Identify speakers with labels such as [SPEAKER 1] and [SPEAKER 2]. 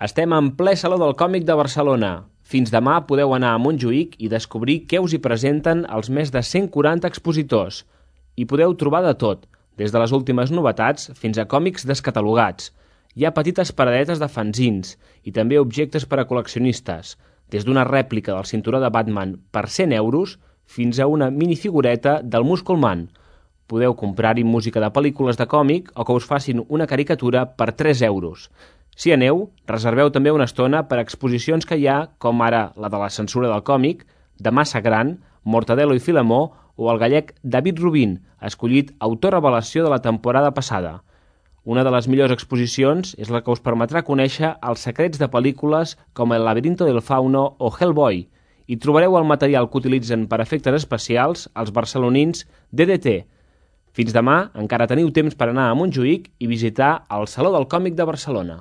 [SPEAKER 1] Estem en ple Saló del Còmic de Barcelona. Fins demà podeu anar a Montjuïc i descobrir què us hi presenten els més de 140 expositors. Hi podeu trobar de tot, des de les últimes novetats fins a còmics descatalogats. Hi ha petites paradetes de fanzins i també objectes per a col·leccionistes, des d'una rèplica del cinturó de Batman per 100 euros fins a una minifigureta del Muscle Man. Podeu comprar-hi música de pel·lícules de còmic o que us facin una caricatura per 3 euros. Si aneu, reserveu també una estona per a exposicions que hi ha, com ara la de la censura del còmic, de Massa Gran, Mortadelo i Filemó o el gallec David Rubin, escollit autor revelació de la temporada passada. Una de les millors exposicions és la que us permetrà conèixer els secrets de pel·lícules com El laberinto del fauno o Hellboy. Hi trobareu el material que utilitzen per efectes especials els barcelonins DDT. Fins demà encara teniu temps per anar a Montjuïc i visitar el Saló del Còmic de Barcelona.